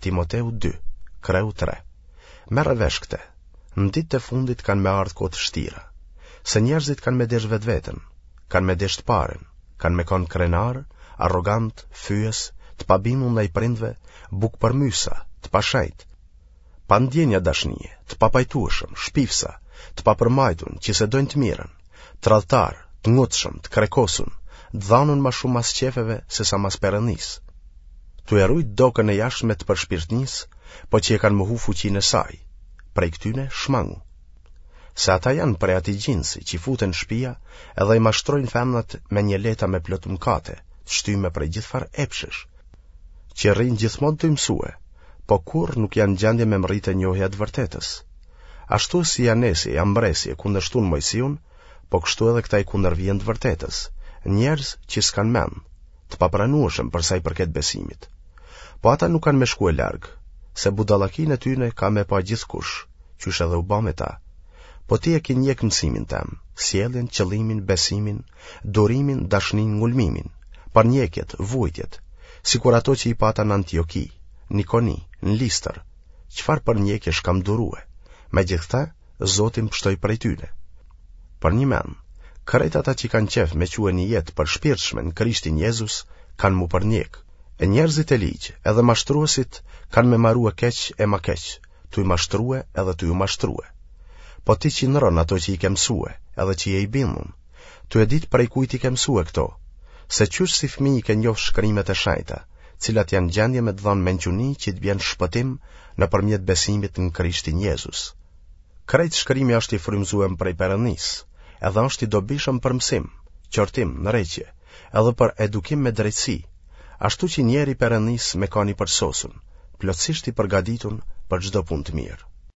Timoteu 2, kreu 3. Merre vesh këte, në ditët e fundit kanë me ardhë kohë të shtira, se njerëzit kanë me deshtë vetveten, kanë me deshtë paren, kanë me kanë krenarë, arrogantë, fyes, të pabindun ndaj prindve, bukëpërmbysa, të pashejtë, pa ndjenja dashnie, të papajtueshëm, shpifsa, të papërmajtun, që s'e dojnë të mirën, tradhtarë, të ngutshëm, të krekosun, të dhanun ma shumë mas qefeve sesa mas Perëndisë. Tu e rujt dokën e jashtme të përshpirtnisë, po që e kanë mohu fuqinë e saj. Prej këtyne shmangu. Se ata janë prej atij gjinsi që futen në shpia edhe i mashtrojnë femnat me njeleta me plot mëkate, të shtyme prej gjithfarë epshesh, që rrinë gjithmonë tuj mësue, po kurrë nuk janë në gjendje me mrri te njohja e të vërtetës. Ashtu si Janesi e Jambresi e kundërshtun Moisiun, po kështu edhe këta i kundërvihen të vërtetës, njerëz që s'kanë mend, të papranueshëm për sa i përket besimit. Po ata nuk kanë me shkue larg, se budallakinë e tyne ka me pa gjithkush, qysh edhe u ba me ta. Po ti e ki njek mësimin tem, sjelljen, qëllimin, besimin, durimin, dashninë, ngulmimin, përndjekjet, vuajtjet, sikur ato që i pata në Antioki, në Ikoni, në Listër, çfarë përndjekjesh kam durue, megjithëkëtë, Zoti më pshtoi prej tyne. Përnjëmend, krejt ata që kanë qejf me çue një jetë të përshpirtshme në Krishtin Jezus, kanë m'u përndjek. E njerëzit e ligj, edhe mashtruesit, kanë me marue keq e ma keq, tuj mashtrue edhe tuj u mashtrue. Po ti qindro n'ato që i ke mësue, edhe që je i bindun, tu e ditë prej kujt i ke mësue këto, se qysh si fëmijë i ke njoftë shkrimet e shenjta, cilat janë gjendje me të dhanë mençuni që të bjen shpëtim nëpërmjet besimit në Krishtin Jezus. Krejt shkrimi është i frymëzuem prej Perëndisë, edhe është i dobishëm për mësim, qortim, ndreqje, edhe për edukim me drejtësi, ashtu që njeri i Perëndisë me kanë i përsosun, plotësisht i përgatitun për çdo punë të mirë.